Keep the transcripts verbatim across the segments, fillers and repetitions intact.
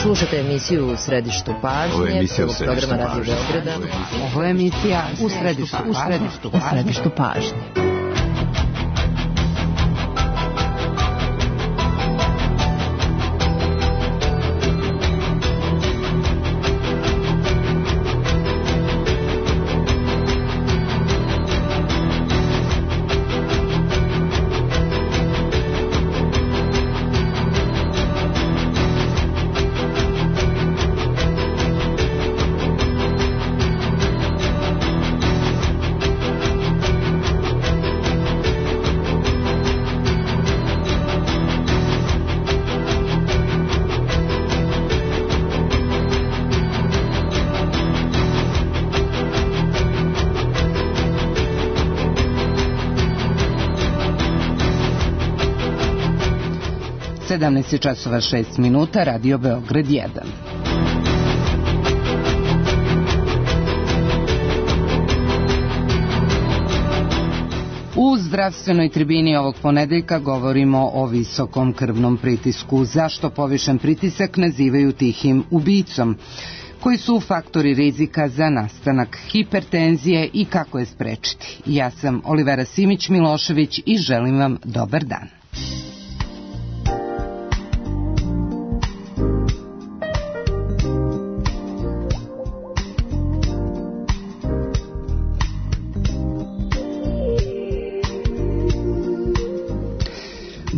Slušate emisiju U središtu pažnje, programa Radio Beograda. Ovo je emisija U središtu, u središtu, u središtu pažnje. sedamnaest časova šest minuta, Radio Beograd jedan. U zdravstvenoj tribini ovog ponedeljka govorimo o visokom krvnom pritisku. Zašto povišen pritisak nazivaju tihim ubicom? Koji su faktori rizika za nastanak hipertenzije i kako je sprečiti? Ja sam Olivera Simić-Milošević i želim vam dobar dan.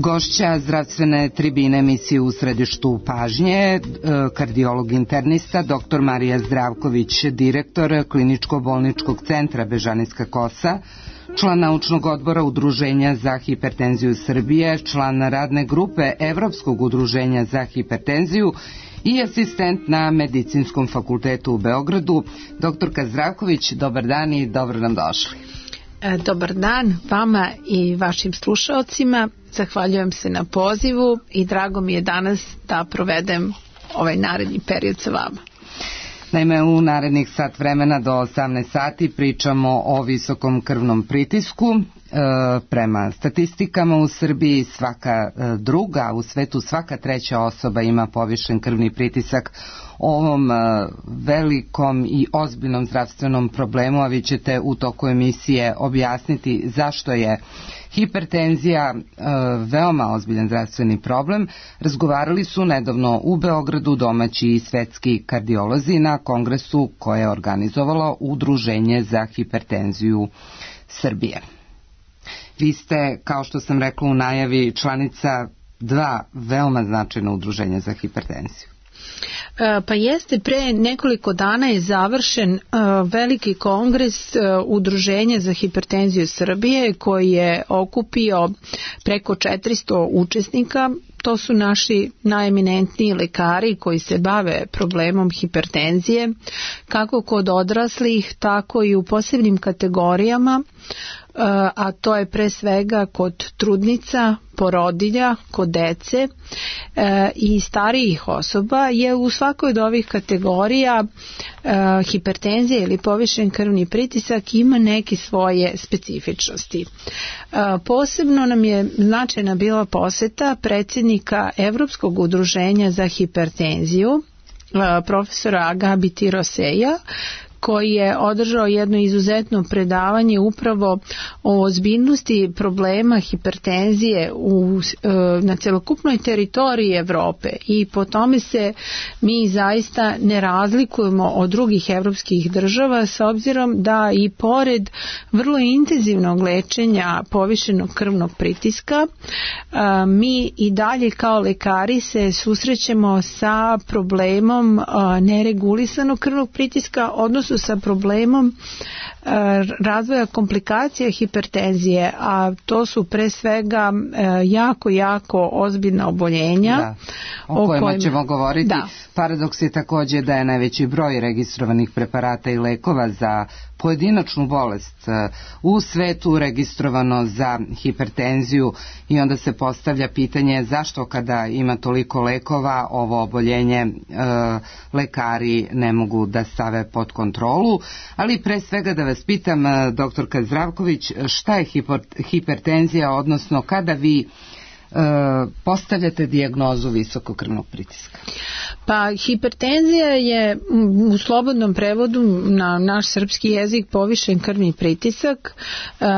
Gošća zdravstvene tribine emisije U središtu pažnje, kardiolog internista doktor Marija Zdravković, direktor Kliničko-bolničkog centra Bežanijska kosa, član naučnog odbora Udruženja za hipertenziju Srbije, član radne grupe Evropskog udruženja za hipertenziju i asistent na Medicinskom fakultetu u Beogradu. Doktorka Zdravković, dobar dan i dobro nam došli. Dobar dan vama i vašim slušaocima. Zahvaljujem se na pozivu i drago mi je danas da provedem ovaj naredni period sa vama. Naime, u narednih sat vremena do osamnaest sati pričamo o visokom krvnom pritisku. E, prema statistikama u Srbiji svaka druga, u svetu svaka treća osoba ima povišen krvni pritisak. Ovom velikom i ozbiljnom zdravstvenom problemu, a vi ćete u toku emisije objasniti zašto je hipertenzija veoma ozbiljan zdravstveni problem, razgovarali su nedavno u Beogradu domaći i svetski kardiolozi na kongresu koje je organizovalo Udruženje za hipertenziju Srbije. Vi ste, kao što sam rekla u najavi, članica dva veoma značajna udruženja za hipertenziju. Pa jeste, pre nekoliko dana je završen uh, veliki kongres uh, Udruženja za hipertenziju Srbije koji je okupio preko četiristo učesnika. To su naši najeminentniji lekari koji se bave problemom hipertenzije, kako kod odraslih, tako i u posebnim kategorijama, a to je pre svega kod trudnica, porodilja, kod dece i starijih osoba. Je u svakoj od ovih kategorija hipertenzija ili povišen krvni pritisak ima neke svoje specifičnosti. Posebno nam je značajna bila poseta predsjednika Evropskog udruženja za hipertenziju, profesora Gabi Tiroseja, koji je održao jedno izuzetno predavanje upravo o ozbiljnosti problema hipertenzije u, na celokupnoj teritoriji Evrope i po tome se mi zaista ne razlikujemo od drugih evropskih država s obzirom da i pored vrlo intenzivnog lečenja povišenog krvnog pritiska mi i dalje kao lekari se susrećemo sa problemom neregulisanog krvnog pritiska, odnosno sa problemom razvoja komplikacija hipertenzije, a to su pre svega jako, jako ozbiljna oboljenja. Da, o, o kojima kojim... ćemo govoriti. Da. Paradoks je također da je najveći broj registrovanih preparata i lekova za pojedinačnu bolest u svetu registrovano za hipertenziju i onda se postavlja pitanje zašto kada ima toliko lekova ovo oboljenje e, lekari ne mogu da stave pod kontrolu, ali pre svega da vas pitam, doktorka Zdravković, šta je hiper, hipertenzija, odnosno kada vi postavljate dijagnozu visokog krvnog pritiska? Pa hipertenzija je u slobodnom prevodu na naš srpski jezik povišen krvni pritisak.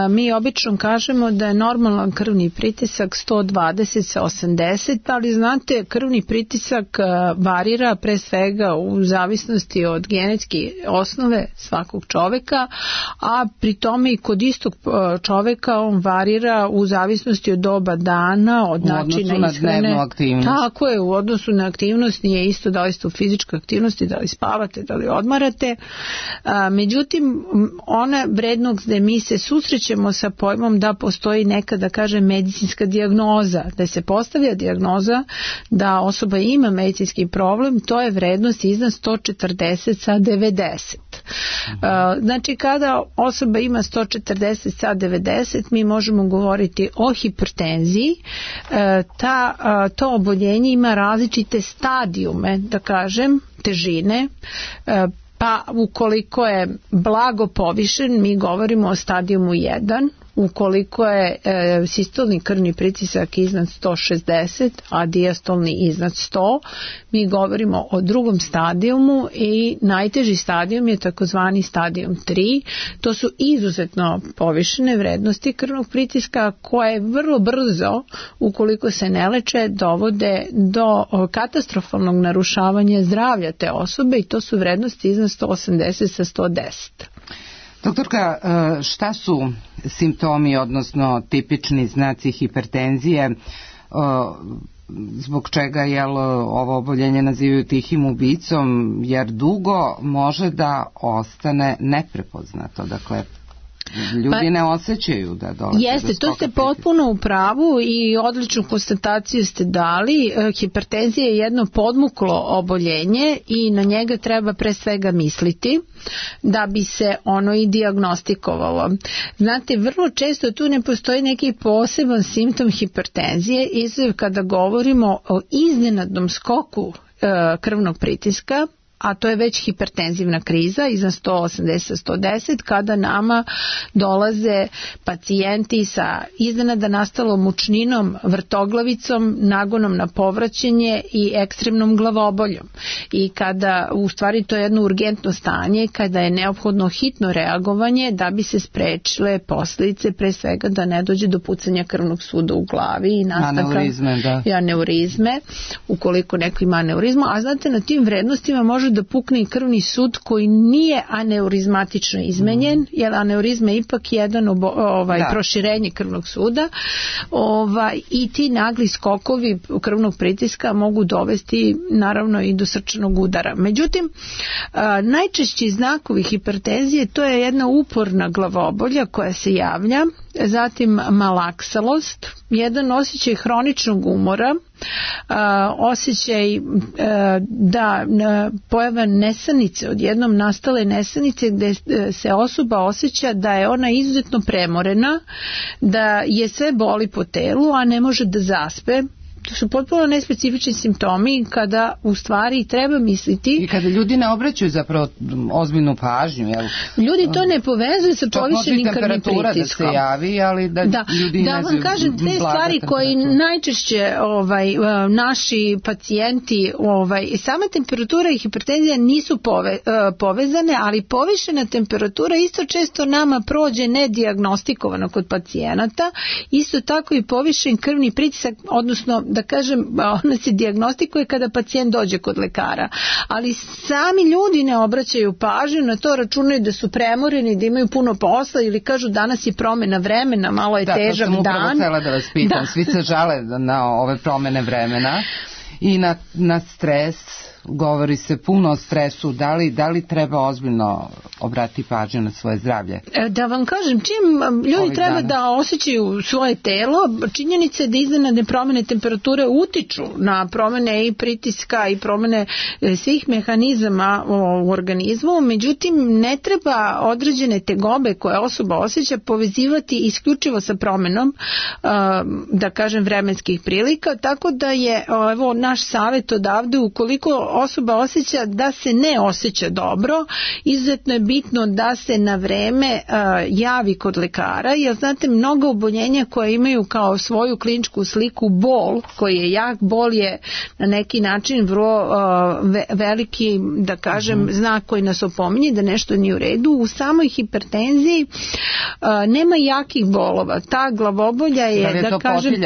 Mi obično kažemo da je normalan krvni pritisak sto dvadeset sa osamdeset, ali znate, krvni pritisak varira pre svega u zavisnosti od genetske osnove svakog čoveka, a pri tome i kod istog čoveka on varira u zavisnosti od doba dana, od načina ishrane. Tako je, u odnosu na aktivnost nije isto da li ste u fizičkoj aktivnosti, da li spavate, da li odmarate. A, međutim, ona vrednost gde mi se susrećemo sa pojmom da postoji neka, da kažem, medicinska dijagnoza, da se postavlja dijagnoza da osoba ima medicinski problem, to je vrednost iznad sto četrdeset sa devedeset. A, znači, kada osoba ima sto četrdeset sa devedeset, mi možemo govoriti o hipertenziji. A, ta, a, to oboljenje ima različite stadijume, da kažem, težine, pa ukoliko je blago povišen, mi govorimo o stadijumu jedan, ukoliko je e, sistolni krvni pritisak iznad sto šezdeset, a dijastolni iznad sto, mi govorimo o drugom stadijumu i najteži stadijum je takozvani stadijum tri. To su izuzetno povišene vrednosti krvnog pritiska koje vrlo brzo, ukoliko se ne leče, dovode do katastrofalnog narušavanja zdravlja te osobe i to su vrednosti iznad sto osamdeset sa sto deset. Doktorka, šta su simptomi, odnosno tipični znaci hipertenzije, zbog čega jel, ovo oboljenje nazivaju tihim ubicom, jer dugo može da ostane neprepoznato, dakle ljudi pa, ne osjećaju da dolaze jeste, do skoka. To ste potpuno u pravu i odličnu konstataciju ste dali. Hipertenzija je jedno podmuklo oboljenje i na njega treba pre svega misliti da bi se ono i dijagnostikovalo. Znate, vrlo često tu ne postoji neki poseban simptom hipertenzije, izuzev kada govorimo o iznenadnom skoku e, krvnog pritiska, a to je već hipertenzivna kriza iznad sto osamdeset sa sto deset, kada nama dolaze pacijenti sa iznenada nastalom mučninom, vrtoglavicom, nagonom na povraćanje i ekstremnom glavoboljom. I kada, u stvari to je jedno urgentno stanje, kada je neophodno hitno reagovanje da bi se sprečile posljedice, pre svega da ne dođe do pucanja krvnog suda u glavi i nastanka aneurizme, da. aneurizme, ukoliko neko ima aneurizmu. A znate, na tim vrednostima može da pukne i krvni sud koji nije aneurizmatično izmenjen, mm. jer aneurizma je ipak jedan obo, ovaj, proširenje krvnog suda, ovaj, i ti nagli skokovi krvnog pritiska mogu dovesti naravno i do srčanog udara. Međutim, a, najčešći znakovi hipertenzije to je jedna uporna glavobolja koja se javlja, zatim malaksalost, jedan osjećaj hroničnog umora, a, osjećaj a, da a, pojava nesanice, odjednom nastale nesanice gde se osoba osjeća da je ona izuzetno premorena, da je sve boli po telu, a ne može da zaspe. To su potpuno nespecifični simptomi kada u stvari treba misliti. I kada ljudi ne obraćaju zapravo ozbiljnu pažnju. Jel? Ljudi to ne povezuju sa povišenim krvnim pritiskom. Da se javi, ali da, da ljudi da ne vam kažem, te stvari koje najčešće ovaj, naši pacijenti, ovaj, sama temperatura i hipertenzija nisu pove, povezane, ali povišena temperatura isto često nama prođe nedijagnostikovano kod pacijenata. Isto tako i povišen krvni pritisak, odnosno da kažem, ona se dijagnostikuje kada pacijent dođe kod lekara, ali sami ljudi ne obraćaju pažnju na to, računaju da su premoreni, da imaju puno posla ili kažu danas je promjena vremena, malo je da, težak dan. Da, to sam upravo htjela da vas pitam, da. Svi se žale na ove promjene vremena i na, na stres, govori se puno o stresu, da li, da li treba ozbiljno obrati pažnju na svoje zdravlje? Da vam kažem, čim ljudi Ovih treba dana. da osjećaju svoje telo, činjenica je da iznenadne promjene temperature utiču na promjene i pritiska i promjene svih mehanizama u organizmu, međutim ne treba određene tegobe koje osoba osjeća povezivati isključivo sa promjenom, da kažem, vremenskih prilika, tako da je evo naš savjet odavde, ukoliko osoba osjeća da se ne osjeća dobro, izuzetno je bitno da se na vreme uh, javi kod lekara, jer znate, mnogo oboljenja koje imaju kao svoju kliničku sliku bol, koji je jak, bol je na neki način vrlo uh, ve, veliki, da kažem, mm-hmm. znak koji nas opominje da nešto nije u redu. U samoj hipertenziji uh, nema jakih bolova. Ta glavobolja je, da, je da kažem,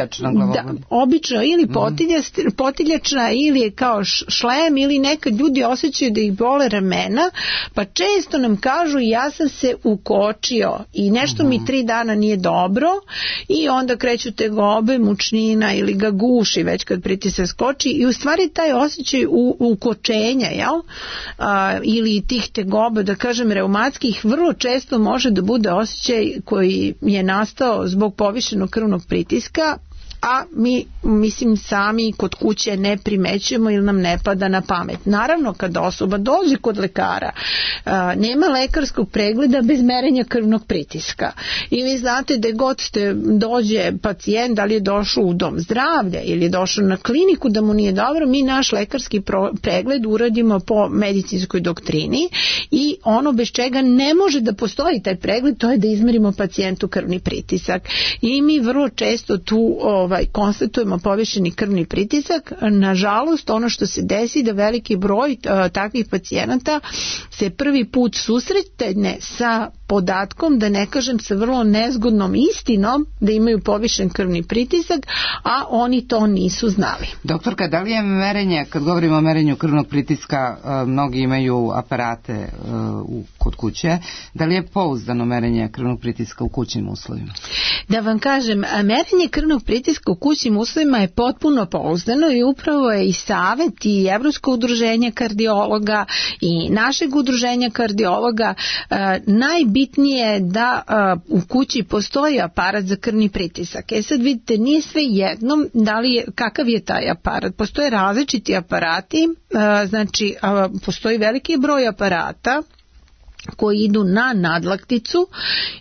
da, obično ili potilja, potiljačna ili je kao šlem, ili nekad ljudi osjećaju da ih bole ramena, pa često nam kažu ja sam se ukočio i nešto uh-huh. mi tri dana nije dobro i onda kreću tegobe, mučnina ili ga guši već kad pritisak skoči i u stvari taj osjećaj u, ukočenja, jel? A, ili tih tegoba, da kažem reumatskih, vrlo često može da bude osjećaj koji je nastao zbog povišenog krvnog pritiska, a mi, mislim, sami kod kuće ne primećujemo ili nam ne pada na pamet. Naravno, kada osoba dođe kod lekara, a, nema lekarskog pregleda bez merenja krvnog pritiska. I vi znate da god ste dođe pacijent, da li je došao u dom zdravlja ili je došao na kliniku da mu nije dobro, mi naš lekarski pro, pregled uradimo po medicinskoj doktrini i ono bez čega ne može da postoji taj pregled, to je da izmerimo pacijentu krvni pritisak. I mi vrlo često tu ovaj, konstatujemo povišeni krvni pritisak. Nažalost, ono što se desi da veliki broj uh, takvih pacijenata se prvi put susretne sa podatkom, da ne kažem sa vrlo nezgodnom istinom da imaju povišen krvni pritisak, a oni to nisu znali. Doktorka, da li je merenje, kad govorimo o merenju krvnog pritiska, uh, mnogi imaju aparate uh, u, kod kuće, da li je pouzdano merenje krvnog pritiska u kućnim uslovima? Da vam kažem, merenje krvnog pritiska u kućnim uslovima je potpuno pouzdano i upravo je i savet i Evropskog udruženja kardiologa i našeg udruženja kardiologa uh, najbitnije je da uh, u kući postoji aparat za krvni pritisak. E sad vidite, nije sve jednom da li je, kakav je taj aparat. Postoje različiti aparati, uh, znači uh, postoji veliki broj aparata koji idu na nadlakticu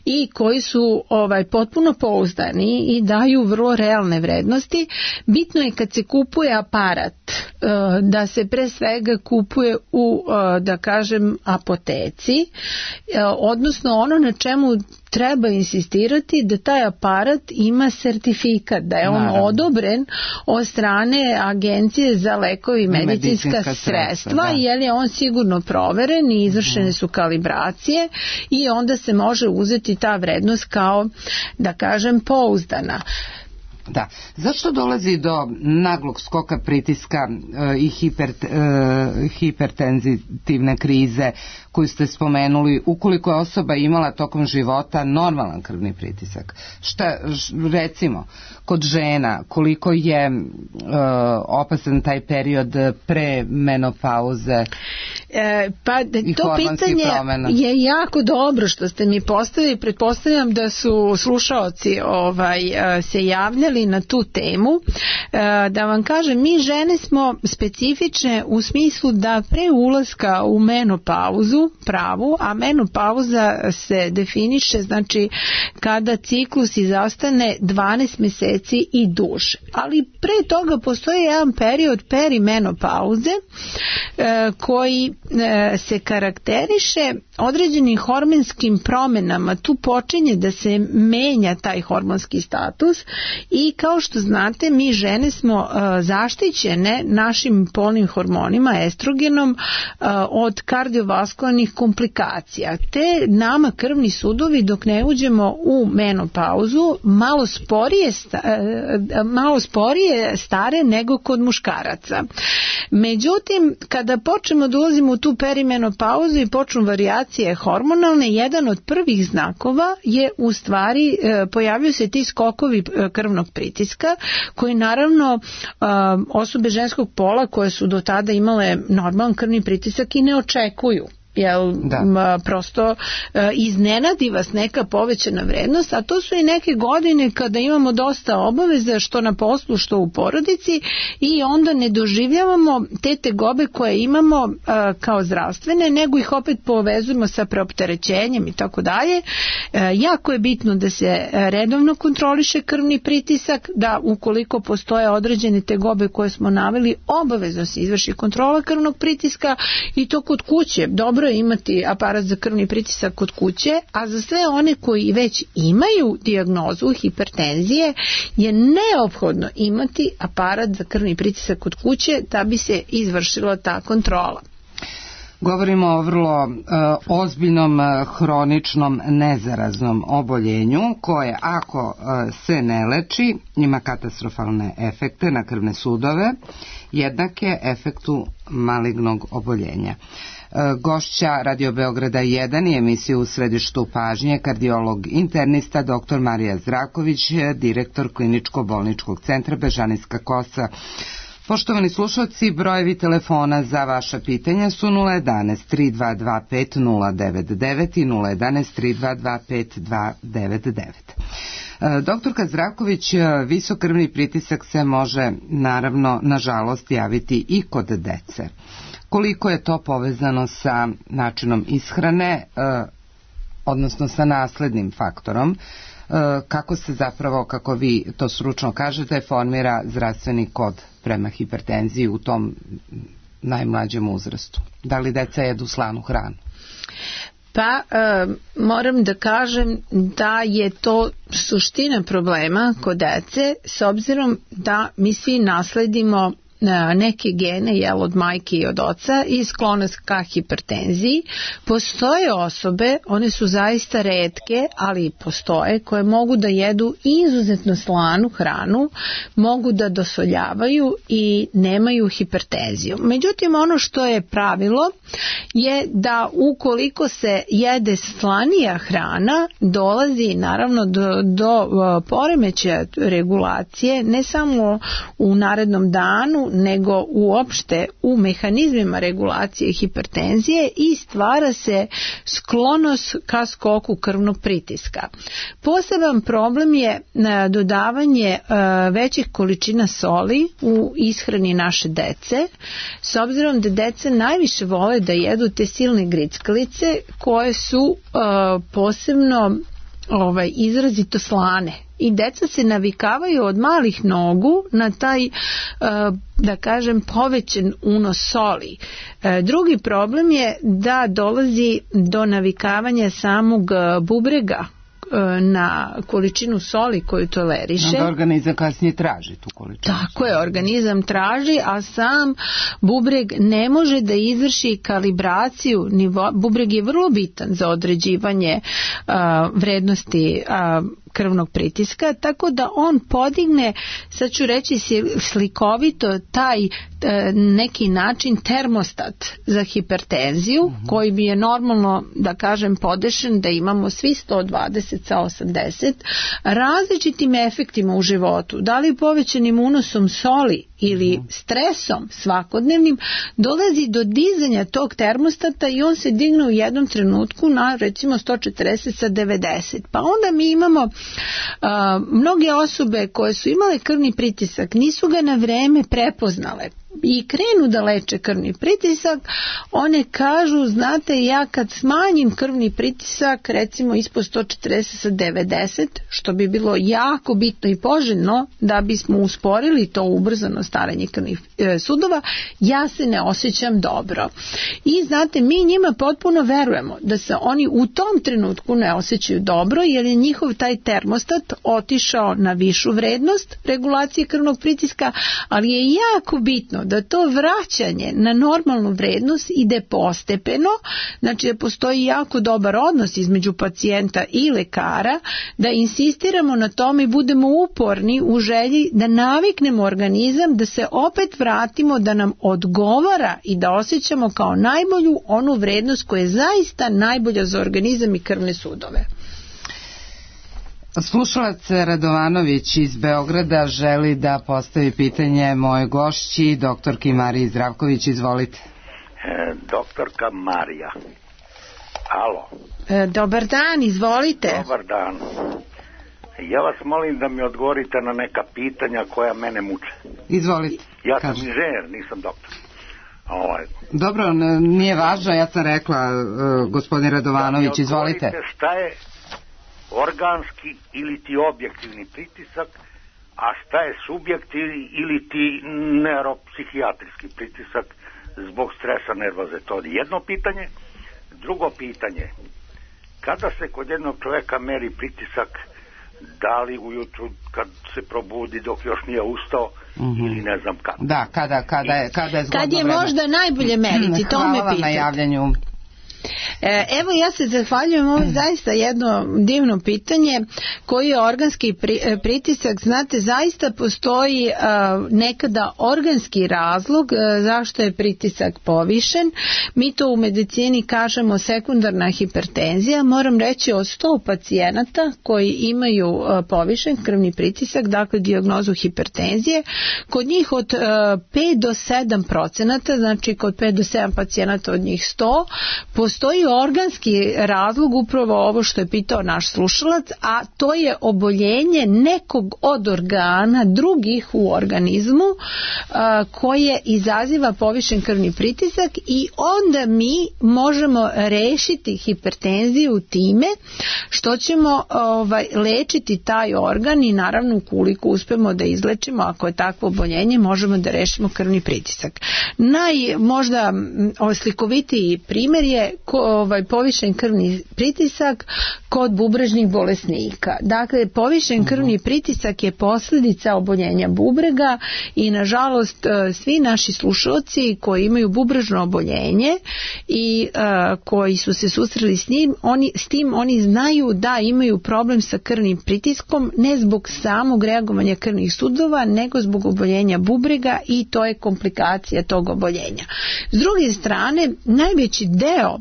i koji su ovaj potpuno pouzdani i daju vrlo realne vrednosti. Bitno je kad se kupuje aparat da se pre svega kupuje u, da kažem, apoteci, odnosno ono na čemu treba insistirati da taj aparat ima sertifikat, da je on Naravno. odobren od strane Agencije za lekovi i medicinska, medicinska sredstva, sredstva jer je on sigurno proveren i izvršene su kalibracije i onda se može uzeti ta vrednost kao, da kažem, pouzdana. Da. Zašto dolazi do naglog skoka pritiska e, i hiper, e, hipertenzitivne krize koju ste spomenuli, ukoliko je osoba imala tokom života normalan krvni pritisak? Šta, recimo, kod žena, koliko je e, opasan taj period pre menopauze e, pa i to pitanje promjena? Je jako dobro što ste mi postavili. Pretpostavljam da su slušaoci ovaj, se javljali na tu temu. Da vam kažem, mi žene smo specifične u smislu da pre ulaska u menopauzu pravu, a menopauza se definiše, znači kada ciklus izostane dvanaest meseci i duže. Ali pre toga postoji jedan period perimenopauze koji se karakteriše određenim hormonskim promjenama. Tu počinje da se menja taj hormonski status i kao što znate, mi žene smo uh, zaštićene našim polnim hormonima, estrogenom, uh, od kardiovaskularnih komplikacija. Te nama krvni sudovi dok ne uđemo u menopauzu malo sporije, sta, uh, malo sporije stare nego kod muškaraca. Međutim, kada počnemo da ulazimo u tu perimenopauzu i počnu varijacije hormonalne, jedan od prvih znakova je u stvari uh, pojavljaju se ti skokovi uh, krvnog pritiska, koji naravno osobe ženskog pola koje su do tada imale normalan krvni pritisak i ne očekuju. jel da. Prosto iznenadi vas neka povećana vrednost, a to su i neke godine kada imamo dosta obaveza što na poslu, što u porodici, i onda ne doživljavamo te tegobe koje imamo kao zdravstvene, nego ih opet povezujemo sa preopterećenjem i tako dalje. Jako je bitno da se redovno kontroliše krvni pritisak, da ukoliko postoje određene tegobe koje smo naveli, obavezno se izvrši kontrola krvnog pritiska, i to kod kuće. Dobro je imati aparat za krvni pritisak kod kuće, a za sve one koji već imaju dijagnozu hipertenzije je neophodno imati aparat za krvni pritisak kod kuće da bi se izvršila ta kontrola. Govorimo o vrlo e, ozbiljnom e, hroničnom nezaraznom oboljenju koje ako e, se ne leči ima katastrofalne efekte na krvne sudove, jednake efektu malignog oboljenja. Gošća Radio Beograda jedan i emisiju U središtu pažnje kardiolog internista doktor Marija Zdravković, direktor kliničko-bolničkog centra Bežanijska Kosa. Poštovani slušalci, brojevi telefona za vaša pitanja su nula jedanaest tri dva dva pet nula devet devet i nula jedanaest tri dva dva pet dva devet devet. Doktorka Zdravković, visok krvni pritisak se može naravno nažalost javiti i kod dece. Koliko je to povezano sa načinom ishrane, odnosno sa naslednim faktorom, kako se zapravo, kako vi to stručno kažete, formira zdravstveni kod prema hipertenziji u tom najmlađem uzrastu? Da li deca jedu slanu hranu? Pa e, moram da kažem da je to suština problema kod dece, s obzirom da mi svi nasledimo neke gene, jel, od majke i od oca, i sklonost ka hipertenziji. Postoje osobe, one su zaista retke, ali postoje, koje mogu da jedu izuzetno slanu hranu, mogu da dosoljavaju i nemaju hipertenziju. Međutim, ono što je pravilo je da ukoliko se jede slanija hrana, dolazi naravno do, do poremećaja regulacije, ne samo u narednom danu, nego uopšte u mehanizmima regulacije hipertenzije, i stvara se sklonost ka skoku krvnog pritiska. Poseban problem je dodavanje većih količina soli u ishrani naše dece, s obzirom da dece najviše vole da jedu te silne grickalice koje su posebno ovaj, izrazito slane. I deca se navikavaju od malih nogu na taj, da kažem, povećan unos soli. Drugi problem je da dolazi do navikavanja samog bubrega na količinu soli koju toleriše. Onda organizam kasnije traži tu količinu. Tako je, organizam traži, a sam bubreg ne može da izvrši kalibraciju nivoa. Bubreg je vrlo bitan za određivanje uh, vrednosti uh, krvnog pritiska, tako da on podigne, sad ću reći slikovito, taj neki način termostat za hipertenziju, mm-hmm. koji bi je normalno, da kažem, podešen da imamo svi sto dvadeset sa osamdeset, različitim efektima u životu, da li povećanim unosom soli ili stresom svakodnevnim, dolazi do dizanja tog termostata i on se digne u jednom trenutku na recimo sto četrdeset sa devedeset. Pa onda mi imamo uh, mnoge osobe koje su imale krvni pritisak, nisu ga na vreme prepoznale i krenu da leče krvni pritisak, one kažu, znate, ja kad smanjim krvni pritisak recimo ispod sto četrdeset sa devedeset, što bi bilo jako bitno i poželjno da bismo usporili to ubrzano staranje krvnih e, sudova, ja se ne osjećam dobro. I znate, mi njima potpuno verujemo da se oni u tom trenutku ne osjećaju dobro, jer je njihov taj termostat otišao na višu vrednost regulacije krvnog pritiska, ali je jako bitno da to vraćanje na normalnu vrednost ide postepeno, znači da postoji jako dobar odnos između pacijenta i lekara, da insistiramo na tome i budemo uporni u želji da naviknemo organizam, da se opet vratimo, da nam odgovara i da osjećamo kao najbolju onu vrednost koja je zaista najbolja za organizam i krvne sudove. Slušalac Radovanović iz Beograda želi da postavi pitanje moje gošći, doktorki Mariji Zdravković. Izvolite. E, doktorka Marija, Alo. E, dobar dan, izvolite. Dobar dan. Ja vas molim da mi odgovorite na neka pitanja koja mene muče. Izvolite. Ja sam inženjer, nisam doktor. Ovaj. Dobro, nije važno, ja sam rekla, uh, gospodin Radovanović, izvolite. Šta je organski ili ti objektivni pritisak, a šta je subjektivni ili ti neuropsihijatrijski pritisak zbog stresa, nervoze? To je jedno pitanje. Drugo pitanje, kada se kod jednog čovjeka meri pritisak, da li ujutru kad se probudi dok još nije ustao, mm-hmm. ili ne znam kada? Da, kada, kada je, kada je zgodno Kad je vreme. Možda najbolje meriti, to me Hvala vam na javljanju. Evo, ja se zahvaljujem, ovo je zaista jedno divno pitanje. Koji je organski pritisak? Znate, zaista postoji nekada organski razlog zašto je pritisak povišen. Mi to u medicini kažemo sekundarna hipertenzija. Moram reći, od sto pacijenata koji imaju povišen krvni pritisak, dakle dijagnozu hipertenzije, kod njih od pet do sedam procenata, znači kod pet do sedam pacijenata od njih sto, postoji organski razlog, upravo ovo što je pitao naš slušalac, a to je oboljenje nekog od organa drugih u organizmu a, koje izaziva povišen krvni pritisak, i onda mi možemo rešiti hipertenziju time što ćemo ovaj, lečiti taj organ, i naravno ukoliko uspemo da izlečimo, ako je takvo oboljenje, možemo da rešimo krvni pritisak. Naj možda slikovitiji primjer je ko, ovaj, povišen krvni pritisak kod bubrežnih bolesnika. Dakle, povišen krvni pritisak je posljedica oboljenja bubrega, i nažalost svi naši slušalci koji imaju bubrežno oboljenje i uh, koji su se susreli s njim, oni, s tim oni znaju da imaju problem sa krvnim pritiskom, ne zbog samog reagovanja krvnih sudova, nego zbog oboljenja bubrega, i to je komplikacija tog oboljenja. S druge strane, najveći deo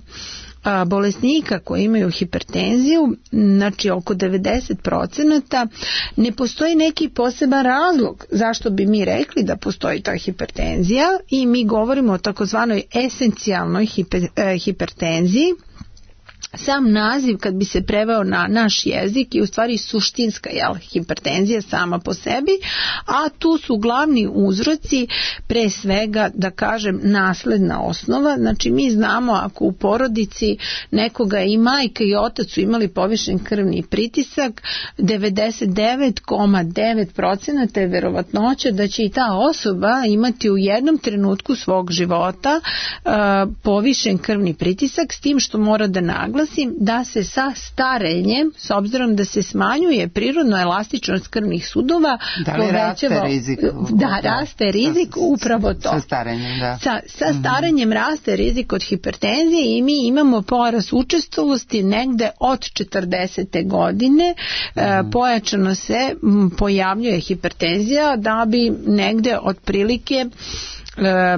a, bolesnika koji imaju hipertenziju, znači oko devedeset procenata, ne postoji neki poseban razlog zašto bi mi rekli da postoji ta hipertenzija, i mi govorimo o takozvanoj esencijalnoj hiper, eh, hipertenziji. Sam naziv, kad bi se preveo na naš jezik, je u stvari suštinska jel, hipertenzija sama po sebi, a tu su glavni uzroci pre svega, da kažem, nasledna osnova. Znači mi znamo, ako u porodici nekoga i majka i otac su imali povišen krvni pritisak, devedeset devet zarez devet procenata je verovatnoća da će i ta osoba imati u jednom trenutku svog života uh, povišen krvni pritisak, s tim što mora da naglasim da se sa starenjem, s obzirom da se smanjuje prirodno elastičnost krvnih sudova, da li raste rizik? Da, raste rizik, upravo to. Sa starenjem, da. Sa, sa starenjem mm-hmm. raste rizik od hipertenzije, i mi imamo porast učestalosti negde od četrdesete godine. Mm-hmm. E, pojačano se m, pojavljuje hipertenzija, da bi negde otprilike E,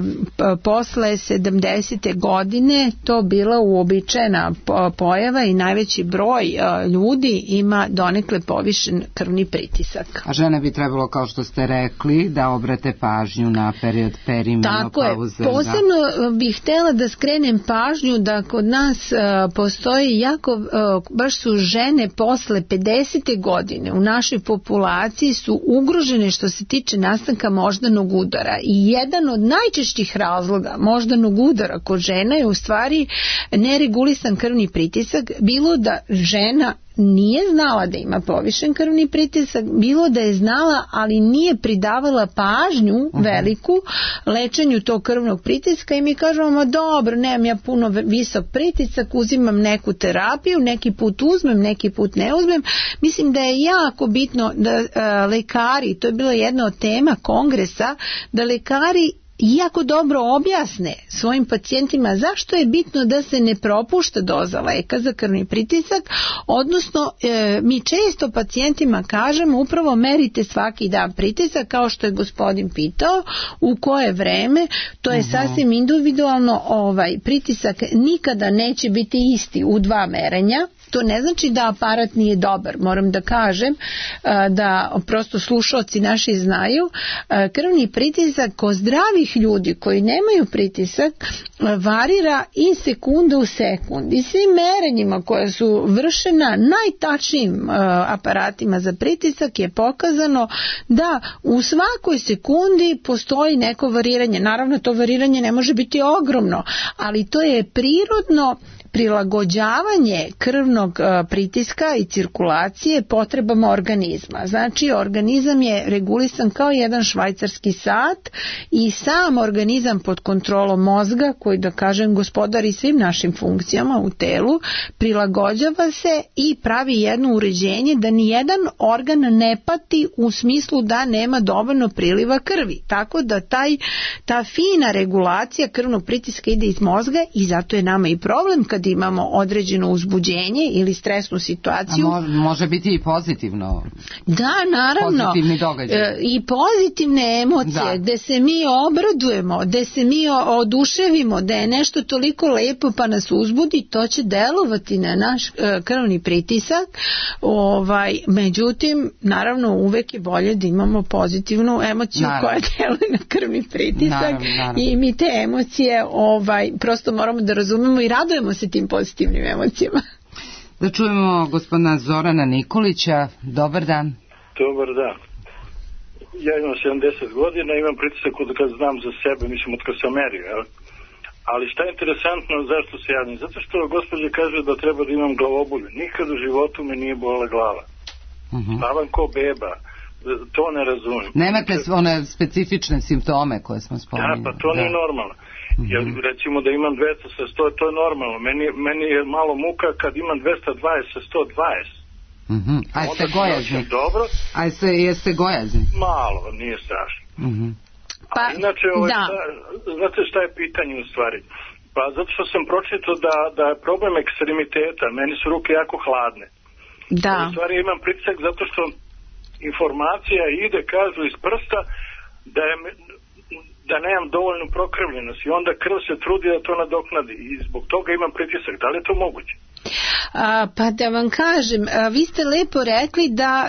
posle sedamdesete godine to bila uobičajena pojava, i najveći broj e, ljudi ima donekle povišen krvni pritisak. A žene bi trebalo, kao što ste rekli, da obrate pažnju na period perimenopauze. Tako je. Posebno da. bih htjela da skrenem pažnju da kod nas e, postoji jako, e, baš su žene posle pedesete godine u našoj populaciji su ugrožene što se tiče nastanka moždanog udara, i jedan od najčešćih razloga moždanog udara kod žena je u stvari neregulisan krvni pritisak, bilo da žena nije znala da ima povišen krvni pritisak, bilo da je znala, ali nije pridavala pažnju uh-huh. veliku lečenju tog krvnog pritiska, i mi kažemo, ma dobro, nemam ja puno visok pritisak, uzimam neku terapiju, neki put uzmem, neki put ne uzmem. Mislim da je jako bitno da uh, lekari, to je bila jedna od tema kongresa, da lekari jako dobro objasne svojim pacijentima zašto je bitno da se ne propušta doza leka za krvni pritisak, odnosno e, mi često pacijentima kažemo upravo merite svaki dan pritisak, kao što je gospodin pitao, u koje vreme, to je uh-huh. sasvim individualno, ovaj pritisak nikada neće biti isti u dva merenja, To ne znači da aparat nije dobar, moram da kažem, da prosto slušaoci naši znaju, krvni pritisak kod zdravih ljudi koji nemaju pritisak varira iz sekunde u sekund i svim merenjima koja su vršena najtačnijim aparatima za pritisak je pokazano da u svakoj sekundi postoji neko variranje. Naravno, to variranje ne može biti ogromno, ali to je prirodno prilagođavanje krvnog pritiska i cirkulacije potrebama organizma. Znači, organizam je regulisan kao jedan švajcarski sat i sam organizam pod kontrolom mozga, koji, da kažem, gospodari svim našim funkcijama u telu, prilagođava se i pravi jedno uređenje da nijedan organ ne pati u smislu da nema dovoljno priliva krvi. Tako da taj, ta fina regulacija krvnog pritiska ide iz mozga i zato je nama i problem kad imamo određeno uzbuđenje ili stresnu situaciju. A može biti i pozitivno. Da, naravno. Pozitivni događaj. E, I pozitivne emocije, da. Gde se mi obradujemo, gde se mi oduševimo, da je nešto toliko lepo pa nas uzbudi, to će delovati na naš e, krvni pritisak. Ovaj, međutim, naravno, uvek je bolje da imamo pozitivnu emociju naravno. Koja deluje na krvni pritisak. Naravno, naravno. I mi te emocije ovaj, prosto moramo da razumemo i radujemo se tim pozitivnim emocijama. Da čujemo gospodina Zorana Nikolića. Dobar dan. Dobar dan. Ja imam sedamdeset godina, imam pritisak od kad znam za sebe, mislim od kad sam merio, jel? Ali šta je interesantno, zašto se javim? Zato što gospođa kaže da treba da imam glavobulju. Nikad u životu me nije bola glava. Uh-huh. Stavam ko beba. To ne razumijem. Nemate one specifične simptome koje smo spominjali. Da, pa to da. Nije normalno. Jer recimo da imam dvesta sa sto, to je normalno. Meni, meni je malo muka kad imam dvesta dvadeset sa sto dvadeset. Uh-huh. A jeste gojazni? Dobro. A jeste, jeste gojazni? Malo, nije strašno. Uh-huh. Pa, a inače, ovaj, da. šta, znate šta je pitanje u stvari? Pa zato što sam pročitao da, da je problem ekstremiteta, meni su ruke jako hladne. Da. U stvari imam pritisak zato što informacija ide, kažu, iz prsta da je... da nemam dovoljnu prokrvljenost i onda krv se trudi da to nadoknadi i zbog toga imam pritisak. Da li je to moguće? A, pa da vam kažem, a, vi ste lepo rekli da a,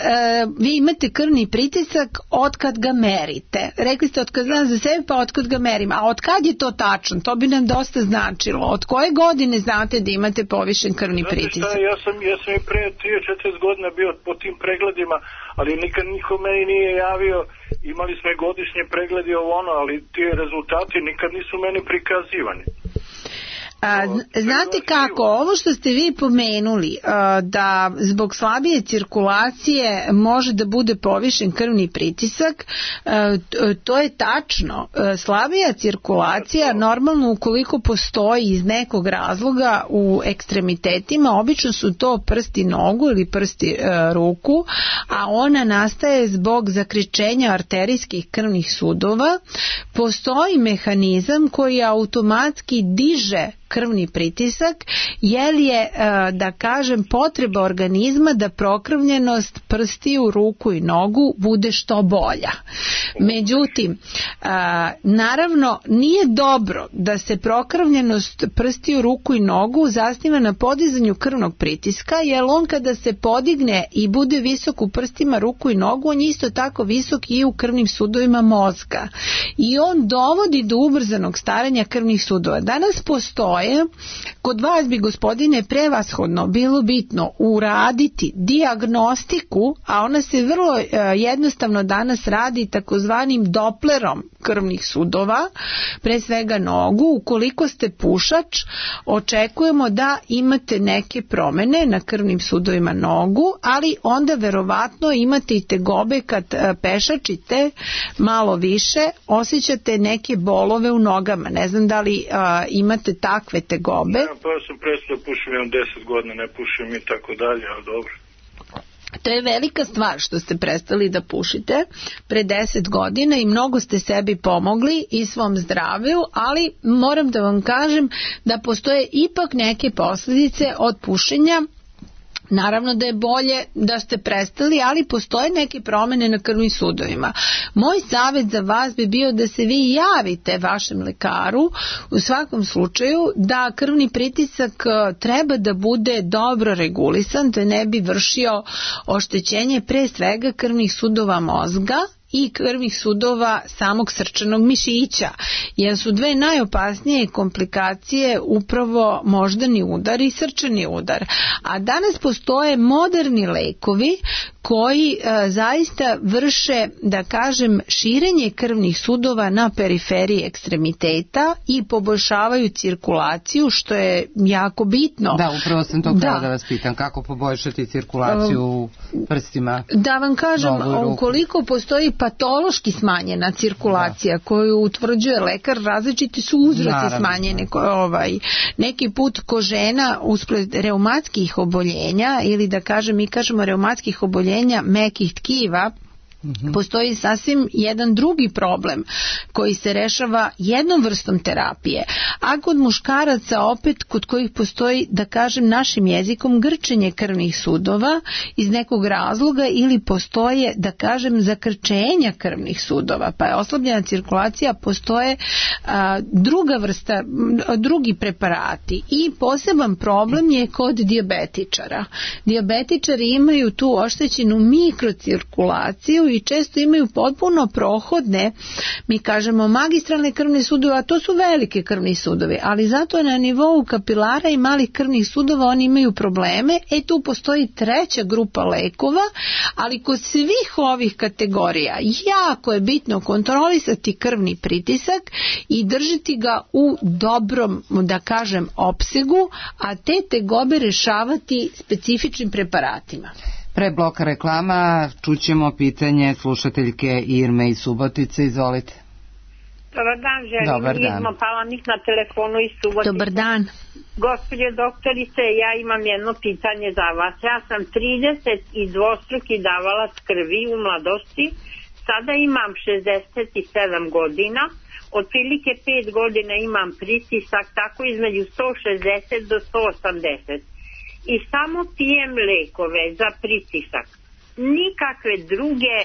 vi imate krvni pritisak od kad ga merite. Rekli ste od kad znam za sebe pa od kad ga merim. A od kad je to tačno? To bi nam dosta značilo. Od koje godine znate da imate povišen krvni Znate pritisak? Šta, ja, sam, ja sam i pre trideset četrdeset godina bio po tim pregledima, ali nikad niko meni nije javio. Imali smo i godišnje pregledi ovo ono, ali ti rezultati nikad nisu meni prikazivani. A, znate kako, ovo što ste vi pomenuli, a, da zbog slabije cirkulacije može da bude povišen krvni pritisak, a, to je tačno. A, slabija cirkulacija normalno ukoliko postoji iz nekog razloga u ekstremitetima, obično su to prsti nogu ili prsti a, ruku, a ona nastaje zbog zakričenja arterijskih krvnih sudova. Postoji mehanizam koji automatski diže krvni pritisak, jer je, da kažem, potreba organizma da prokrvljenost prstiju, ruku i nogu bude što bolja. Međutim, naravno, nije dobro da se prokrvljenost prstiju, ruku i nogu zasniva na podizanju krvnog pritiska, jer on kada se podigne i bude visok u prstima, ruku i nogu, on je isto tako visok i u krvnim sudovima mozga. I on dovodi do ubrzanog staranja krvnih sudova. Danas postoje, kod vas bi, gospodine, prevashodno bilo bitno uraditi dijagnostiku, a ona se vrlo jednostavno danas radi takozvanim doplerom krvnih sudova, pre svega nogu. Ukoliko ste pušač, očekujemo da imate neke promene na krvnim sudovima nogu, ali onda verovatno imate i tegobe kad pešačite malo više, osjećate neke bolove u nogama. Ne znam da li a, imate takve tegobe. Ja, pa sam prestao pušim, imam deset godina, ne pušim i tako dalje, ali dobro. To je velika stvar što ste prestali da pušite pre deset godina i mnogo ste sebi pomogli i svom zdravlju, ali moram da vam kažem da postoje ipak neke posljedice od pušenja Naravno da je bolje da ste prestali, ali postoje neke promene na krvnim sudovima. Moj savjet za vas bi bio da se vi javite vašem lekaru u svakom slučaju da krvni pritisak treba da bude dobro regulisan, da ne bi vršio oštećenje pre svega krvnih sudova mozga i krvnih sudova samog srčanog mišića, jer su dve najopasnije komplikacije upravo moždani udar i srčani udar. A danas postoje moderni lekovi koji e, zaista vrše, da kažem, širenje krvnih sudova na periferiji ekstremiteta i poboljšavaju cirkulaciju, što je jako bitno. Da, upravo sam to htjela da. da vas pitam, kako poboljšati cirkulaciju u prstima? Da vam kažem, ukoliko postoji patološki smanjena cirkulacija da. koju utvrđuje lekar, različiti su uzroci Naravno. smanjene. Ovaj, neki put kod žena usled reumatskih oboljenja, ili da kažem, mi kažemo reumatskih oboljenja mekih tkiva, mm-hmm. postoji sasvim jedan drugi problem koji se rešava jednom vrstom terapije. A kod muškaraca opet, kod kojih postoji, da kažem našim jezikom, grčenje krvnih sudova iz nekog razloga, ili postoje, da kažem, zakrčenja krvnih sudova, pa je oslabljena cirkulacija, postoje a, druga vrsta, drugi preparati. I poseban problem je kod dijabetičara. Dijabetičari imaju tu oštećenu mikrocirkulaciju i često imaju potpuno prohodne, mi kažemo magistralne krvne sudove, a to su velike krvni sudovi, ali zato na nivou kapilara i malih krvnih sudova oni imaju probleme. E tu postoji treća grupa lekova, ali kod svih ovih kategorija jako je bitno kontrolisati krvni pritisak i držati ga u dobrom, da kažem, opsegu, a te tegobe rešavati specifičnim preparatima. Pre bloka reklama čućemo pitanje slušateljke Irme iz Subotice. Izvolite. Dobar dan, želim. Dobar dan. Irma Palanik na telefonu iz Subotice. Dobar dan. Gospođo doktorice, ja imam jedno pitanje za vas. Ja sam trideset i dvostruki davalac krvi u mladosti. Sada imam šezdeset sedam godina. Otprilike pet godina imam pritisak tako između sto šezdeset do sto osamdeset. I samo pijem lekove za pritisak. Nikakve druge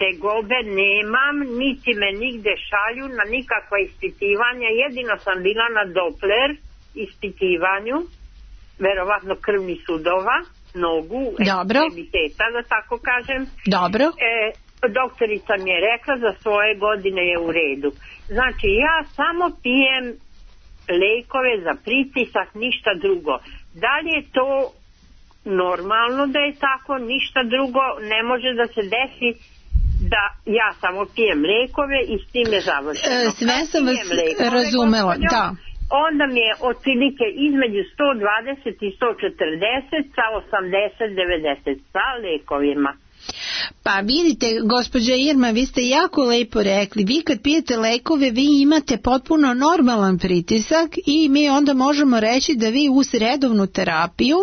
tegobe nemam, niti me nigde šalju na nikakva ispitivanja. Jedino sam bila na Doppler ispitivanju, verovatno krvnih sudova, nogu, ekstremiteta, da tako kažem. Dobro. E, doktorica mi je rekla za svoje godine je u redu. Znači ja samo pijem lekove za pritisak, ništa drugo. Da li je to normalno da je tako, ništa drugo ne može da se desi da ja samo pijem lekove i s tim je završeno. E, sve sam vas razumela, da. Onda mi je otprilike između sto dvadeset i sto četrdeset sa osamdeset devedeset sa lekovima. Pa vidite, gospođa Irma, vi ste jako lepo rekli, vi kad pijete lekove, vi imate potpuno normalan pritisak i mi onda možemo reći da vi uz redovnu terapiju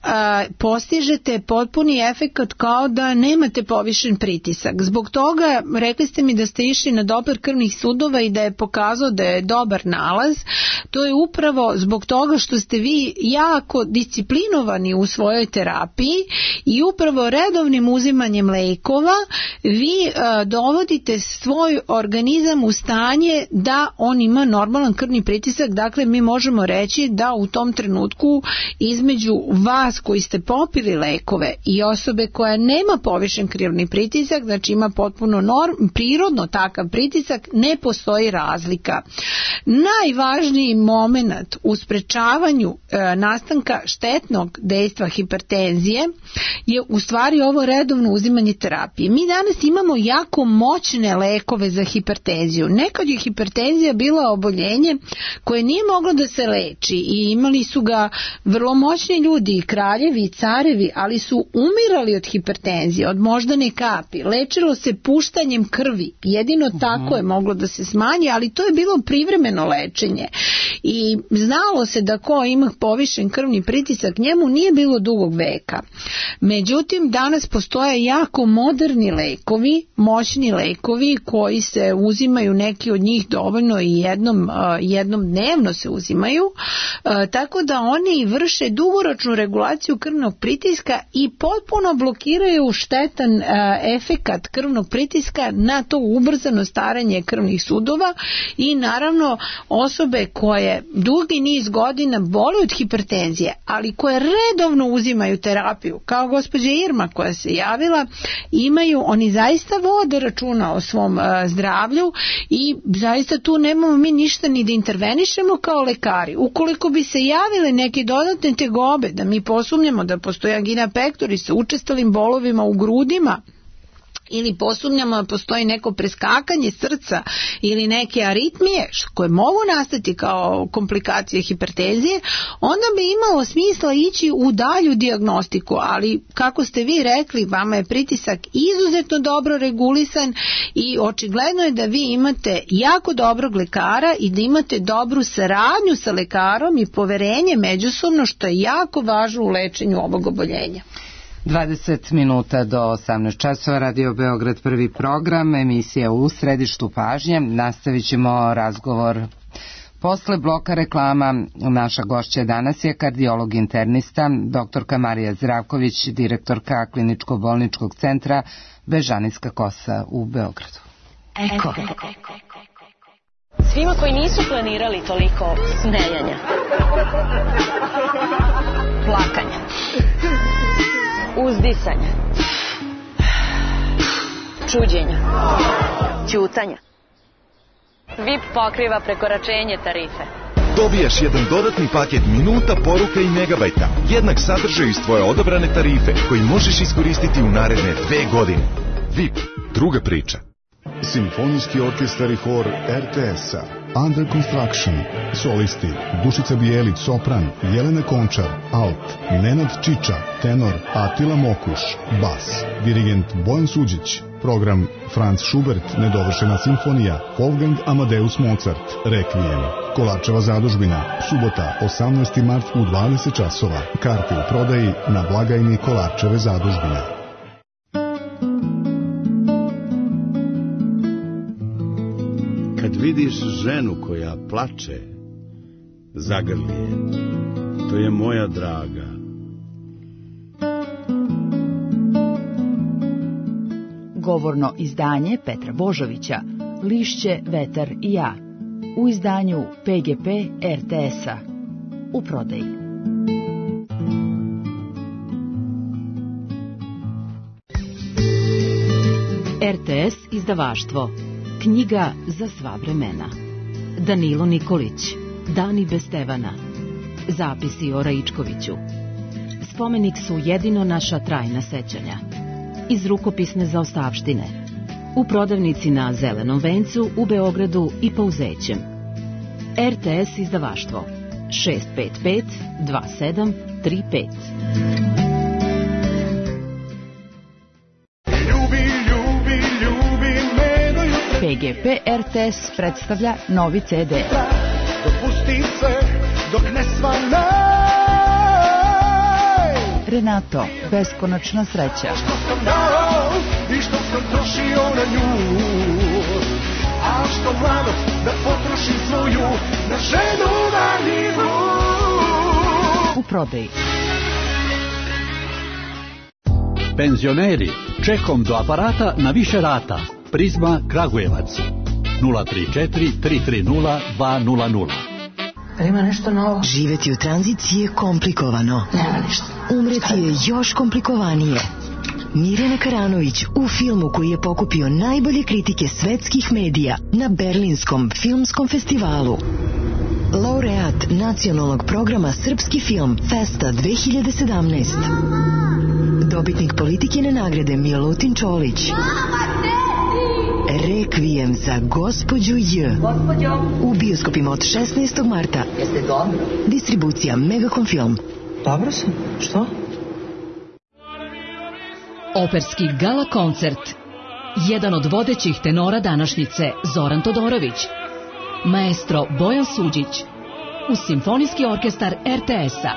a, postižete potpuni efekat kao da nemate povišen pritisak. Zbog toga, rekli ste mi da ste išli na Doppler krvnih sudova i da je pokazao da je dobar nalaz, to je upravo zbog toga što ste vi jako disciplinovani u svojoj terapiji i upravo redovnim uzimanjem lekova vi a, dovodite svoj organizam u stanje da on ima normalan krvni pritisak. Dakle, mi možemo reći da u tom trenutku između vas koji ste popili lekove i osobe koja nema povišen krvni pritisak, znači ima potpuno norm, prirodno takav pritisak, ne postoji razlika. Najvažniji moment u sprečavanju e, nastanka štetnog dejstva hipertenzije je u stvari ovo redovno uzimanje terapije. Mi danas imamo jako moćne lekove za hipertenziju. Nekad je hipertenzija bila oboljenje koje nije moglo da se leči i imali su ga vrlo moćni ljudi, i kraljevi i carevi, ali su umirali od hipertenzije, od moždane kapi. Lečilo se puštanjem krvi. Jedino tako je moglo da se smanji, ali to je bilo privremeno lečenje. I znalo se da ko ima povišen krvni pritisak, njemu nije bilo dugog veka. Međutim, danas postoji postoje jako moderni lekovi, moćni lekovi koji se uzimaju, neki od njih dovoljno i jednom, jednom dnevno se uzimaju, tako da oni vrše dugoročnu regulaciju krvnog pritiska i potpuno blokiraju štetan efekat krvnog pritiska na to ubrzano staranje krvnih sudova i naravno osobe koje dugi niz godina boluju od hipertenzije, ali koje redovno uzimaju terapiju, kao gospođa Irma koja se javila, imaju, oni zaista vode računa o svom zdravlju i zaista tu nemamo mi ništa ni da intervenišemo kao lekari. Ukoliko bi se javile neke dodatne tegobe, da mi posumnjamo da postoji angina pectoris sa učestalim bolovima u grudima, ili posumnjamo da postoji neko preskakanje srca ili neke aritmije koje mogu nastati kao komplikacije hipertenzije, onda bi imalo smisla ići u dalju dijagnostiku, ali kako ste vi rekli, vama je pritisak izuzetno dobro regulisan i očigledno je da vi imate jako dobrog lekara i da imate dobru saradnju sa lekarom i poverenje međusobno, što je jako važno u lečenju ovog oboljenja. dvadeset minuta do osamnaest časova, Radio Beograd, prvi program, emisija U središtu pažnje. Nastavit ćemo razgovor posle bloka reklama. Naša gošća danas je kardiolog internista, doktorka Marija Zdravković, direktorka Kliničko-bolničkog centra Bežanijska kosa u Beogradu. Eko. Svima koji nisu planirali toliko smejanja, plakanja, uzdisanja, čuđenja, ćutanja. V I P pokriva prekoračenje tarife. Dobijaš jedan dodatni paket minuta, poruka i megabajta. Jednak sadržaj iz tvoje odabrane tarife koji možeš iskoristiti u naredne dve godine. V I P, druga priča. Simfonijski orkestar i hor R T S-a. Under Construction. Solisti Dušica Bijelić, sopran, Jelena Končar, alt, Nenad Čiča, tenor, Atila Mokuš, bas, dirigent Bojan Suđić. Program Franz Schubert, nedovršena simfonija, Wolfgang Amadeus Mozart, Requiem. Kolarčeva zadužbina, subota, osamnaesti mart u dvadeset časova. Karte u prodaji na blagajni Kolarčeve zadužbine. Kad vidiš ženu koja plače, zagrli je. To je moja draga. Govorno izdanje Petra Božovića, Lišće, vetar i ja. U izdanju P G P R T S-a. U prodaji. R T S izdavaštvo. Knjiga za sva vremena. Danilo Nikolić. Dani bez Stevana. Zapisi o Raičkoviću. Spomenik su jedino naša trajna sećanja. Iz rukopisne zaostavštine. U prodavnici na Zelenom vencu u Beogradu i Pauzećem. R T S izdavaštvo. šest pet pet dva sedam tri pet. P G P R T S predstavlja novi C D. Dopusti se dok ne svanaj. Renato, beskonačna sreća. Što sam dao i što sam trošio na nju, a što mladost da potrošim svoju na ženu valjivu. U prodaji. Penzioneri, čekom do aparata na više rata. Prizma Kragujevac nula tri četiri tri tri nula dva nula nula. Ima nešto novo. Živeti u tranziciji je komplikovano. Nema ništa. Umreti je još komplikovanije. Mirjana Karanović u filmu koji je pokupio najbolje kritike svetskih medija na Berlinskom filmskom festivalu. Laureat nacionalnog programa Srpski film Festa dve hiljade sedamnaest. Dobitnik Politikine nagrade Milutin Čolić. Requiem za gospođu J. U bioskopima od šesnaestog marta. Jeste dobro? Distribucija Megacom Film. Dobro sam. Što? Operski gala koncert. Jedan od vodećih tenora današnjice, Zoran Todorović. Maestro Bojan Suđić. Uz Simfonijski orkestar R T S-a.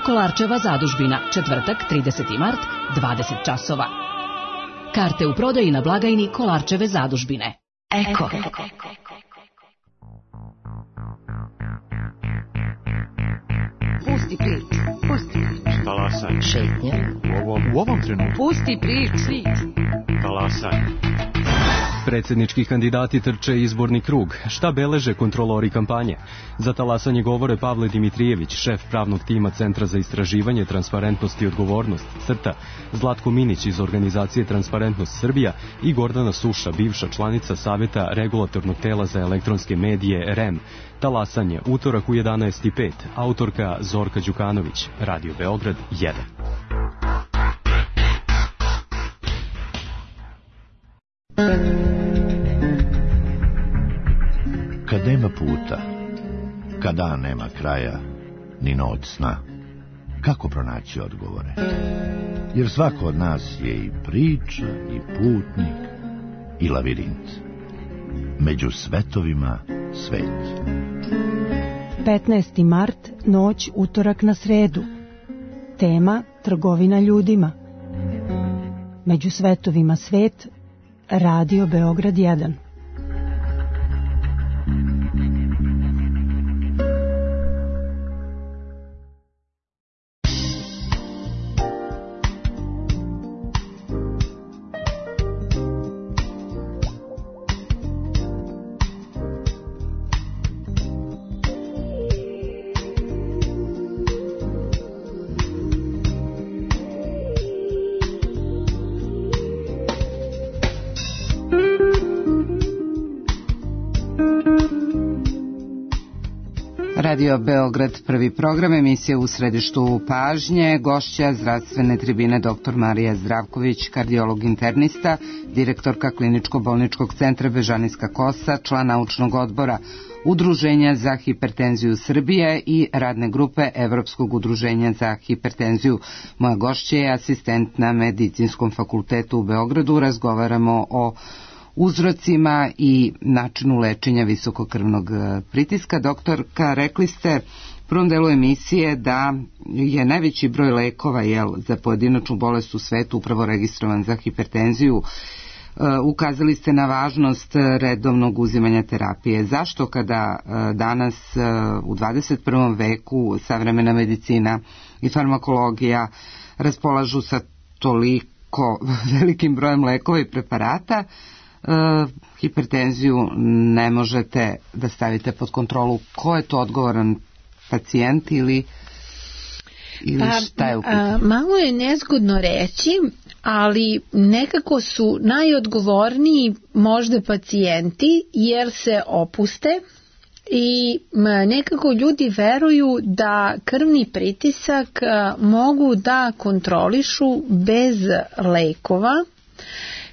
Kolarčeva zadužbina, četvrtak, trideseti mart, dvadeset časova. Karte u prodaji na blagajni Kolarčeve zadužbine. Eko. Pusti priču, pusti priču. Talasaj. Šetnje. U ovom, u ovom trenutku. Pusti priču. Talasaj. Predsjednički kandidati trče izborni krug. Šta beleže kontrolori kampanje? Za talasanje govore Pavle Dimitrijević, šef pravnog tima Centra za istraživanje, transparentnost i odgovornost, CRTA, Zlatko Minić iz organizacije Transparentnost Srbija i Gordana Suša, bivša članica Savjeta regulatornog tela za elektronske medije R E M. Talasanje, utorak u jedanaest i pet, autorka Zorka Đukanović, Radio Beograd jedan. Kad nema puta, kada nema kraja, ni noć sna, kako pronaći odgovore? Jer svako od nas je i priča, i putnik, i lavirint. Među svetovima svet. petnaesti mart, noć, utorak na sredu. Tema: trgovina ljudima. Među svetovima svet, Radio Beograd jedan. Radio Beograd, prvi program, emisija u središtu pažnje, gošća zdravstvene tribine doktor Marija Zdravković, kardiolog internista, direktorka Kliničko-bolničkog centra Bežanijska Kosa, član naučnog odbora Udruženja za hipertenziju Srbije i radne grupe Evropskog udruženja za hipertenziju. Moja gošća je asistent na Medicinskom fakultetu u Beogradu. Razgovaramo o uzrocima i načinu lečenja visokokrvnog pritiska. Doktorka, rekli ste u prvom delu emisije da je najveći broj lekova jel, za pojedinačnu bolest u svetu upravo registrovan za hipertenziju. Ukazali ste na važnost redovnog uzimanja terapije. Zašto kada danas u dvadeset prvom veku savremena medicina i farmakologija raspolažu sa toliko velikim brojem lekova i preparata, Uh, hipertenziju ne možete da stavite pod kontrolu? Ko je to odgovoran, pacijent ili, ili pa, šta je u pitanju? Malo je nezgodno reći, ali nekako su najodgovorniji možda pacijenti jer se opuste i nekako ljudi veruju da krvni pritisak mogu da kontrolišu bez lekova,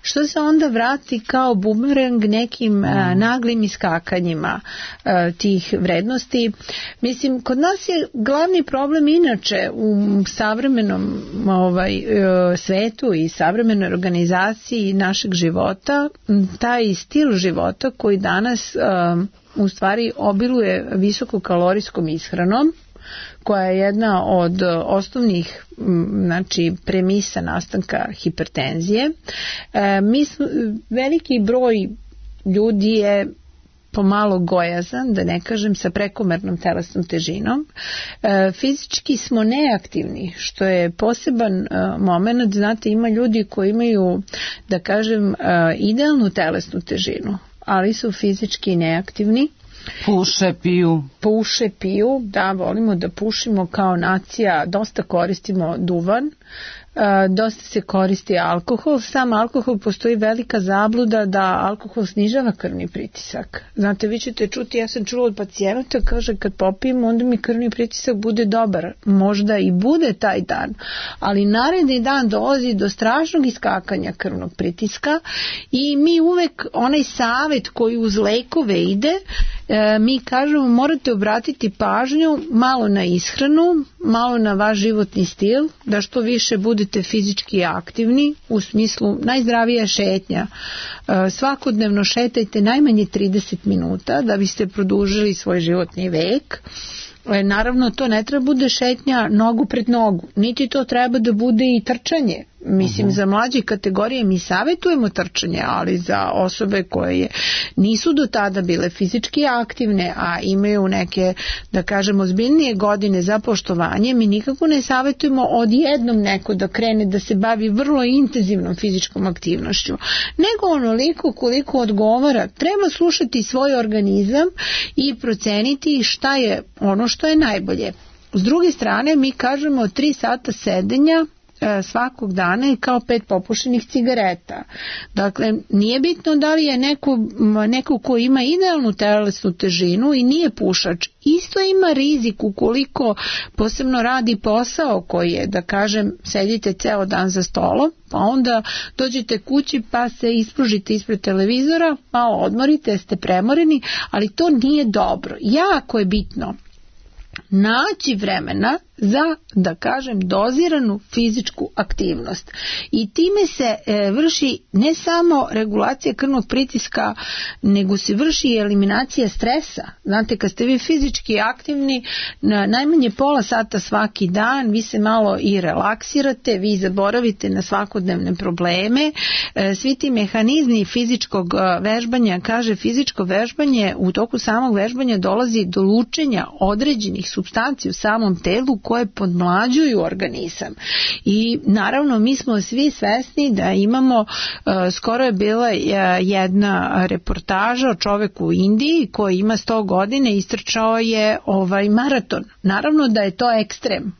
što se onda vrati kao bumerang nekim mm. a, naglim iskakanjima a, tih vrednosti. Mislim, kod nas je glavni problem inače u savremenom ovaj, svetu i savremenoj organizaciji našeg života, taj stil života koji danas a, u stvari obiluje visokokalorijskom ishranom, koja je jedna od osnovnih znači, premisa nastanka hipertenzije. E, mi smo, veliki broj ljudi je pomalo gojazan, da ne kažem sa prekomernom telesnom težinom. E, fizički smo neaktivni, što je poseban e, moment. Znate, ima ljudi koji imaju, da kažem, e, idealnu telesnu težinu, ali su fizički neaktivni. Puše, piju. Puše, piju, da, volimo da pušimo kao nacija, dosta koristimo duvan, dosta se koristi alkohol. Sam alkohol, postoji velika zabluda da alkohol snižava krvni pritisak. Znate, vi ćete čuti, ja sam čula od pacijenta, kaže kad popijem onda mi krvni pritisak bude dobar. Možda i bude taj dan, ali naredni dan dolazi do strašnog iskakanja krvnog pritiska i mi uvek onaj savjet koji uz lekove ide, mi kažemo morate obratiti pažnju malo na ishranu, malo na vaš životni stil, da što više budete fizički aktivni, u smislu najzdravija šetnja. Svakodnevno šetajte najmanje trideset minuta da biste produžili svoj životni vek. naravno to ne treba bude šetnja nogu pred nogu, niti to treba da bude i trčanje. Mislim, uh-huh. za mlađe kategorije mi savjetujemo trčanje, ali za osobe koje nisu do tada bile fizički aktivne, a imaju neke, da kažemo, ozbiljnije godine za poštovanje, mi nikako ne savjetujemo odjednom neko da krene da se bavi vrlo intenzivnom fizičkom aktivnošću, nego onoliko koliko odgovara. Treba slušati svoj organizam i proceniti šta je ono što je najbolje. S druge strane, mi kažemo tri sata sedenja svakog dana je kao pet popušenih cigareta. Dakle, nije bitno da li je neko, neko ko ima idealnu telesnu težinu i nije pušač, isto ima rizik ukoliko posebno radi posao koji je, da kažem, sedite ceo dan za stolom, pa onda dođete kući pa se ispružite ispred televizora, malo odmorite, ste premoreni, ali to nije dobro. Jako je bitno naći vremena za, da kažem, doziranu fizičku aktivnost. I time se e, vrši ne samo regulacija krvnog pritiska, nego se vrši i eliminacija stresa. Znate, kad ste vi fizički aktivni, na najmanje pola sata svaki dan, vi se malo i relaksirate, vi zaboravite na svakodnevne probleme. E, svi ti mehanizmi fizičkog vežbanja, kaže fizičko vežbanje, u toku samog vežbanja dolazi do lučenja određenih supstanci u samom telu koje podmlađuju organizam. I naravno mi smo svi svesni da imamo, skoro je bila jedna reportaža o čoveku u Indiji koji ima sto godina i istrčao je ovaj maraton. Naravno da je to ekstrem.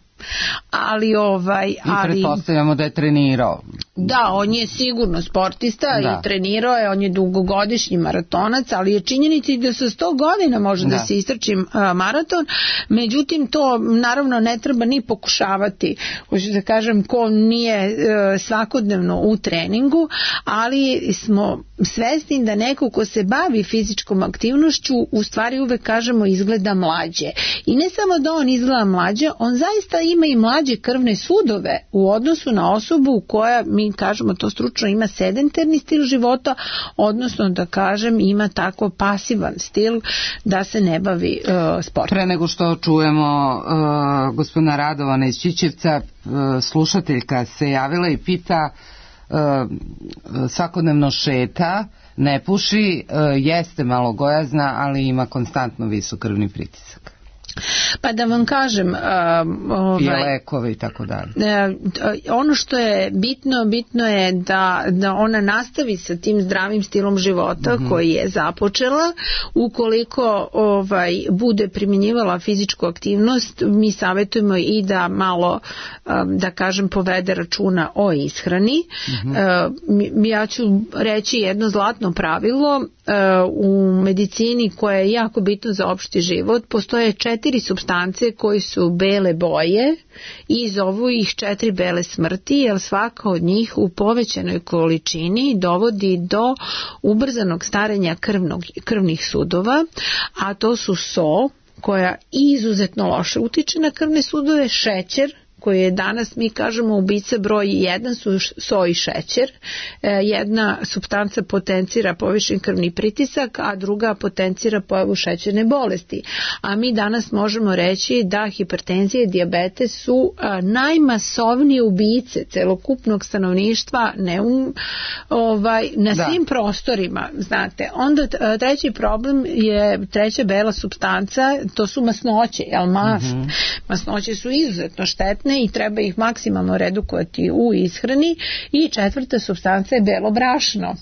Ali ovaj i ali pretpostavljamo da je trenirao. Da, on je sigurno sportista da. I trenirao je, on je dugogodišnji maratonac, ali je činjenica da sa sto godina može da, da se istrči maraton. Međutim, to naravno ne treba ni pokušavati, hoću da kažem, ko nije e, svakodnevno u treningu, ali smo svesni da neko ko se bavi fizičkom aktivnošću u stvari uvek kažemo izgleda mlađe. I ne samo da on izgleda mlađe, on zaista ima i mlađe krvne sudove u odnosu na osobu koja, mi kažemo to stručno, ima sedentarni stil života, odnosno da kažem ima tako pasivan stil da se ne bavi uh, sportom. Pre nego što čujemo uh, gospodina Radovana iz Ćićevca, uh, slušateljka se javila i pita, uh, svakodnevno šeta, ne puši, uh, jeste malo gojazna, ali ima konstantno visok krvni pritisak. Pa da vam kažem, uh, ovaj, i lekove i tako dalje. Uh, ono što je bitno, bitno je da, da ona nastavi sa tim zdravim stilom života mm-hmm. koji je započela. Ukoliko ovaj, bude primjenjivala fizičku aktivnost, mi savjetujemo i da malo, um, da kažem, povede računa o ishrani. Mm-hmm. Uh, ja ću reći jedno zlatno pravilo uh, u medicini koje je jako bitno za opšti život. Postoje četiri supstance koji su bele boje i zovu ih četiri bele smrti, jer svaka od njih u povećanoj količini dovodi do ubrzanog starenja krvnog, krvnih sudova, a to su so, koja izuzetno loše utiče na krvne sudove, šećer, koji je danas, mi kažemo, ubica broj jedan su so i šećer. Jedna supstanca potencira povišen krvni pritisak, a druga potencira pojavu šećerne bolesti. A mi danas možemo reći da hipertenzija i dijabetes su najmasovnije ubice celokupnog stanovništva ne um, ovaj, na da. svim prostorima. Znate. Onda treći problem je treća bela supstanca, to su masnoće, jel mast? Mm-hmm. Masnoće su izuzetno štetne i treba ih maksimalno redukovati u ishrani. I četvrta supstanca je belo brašno.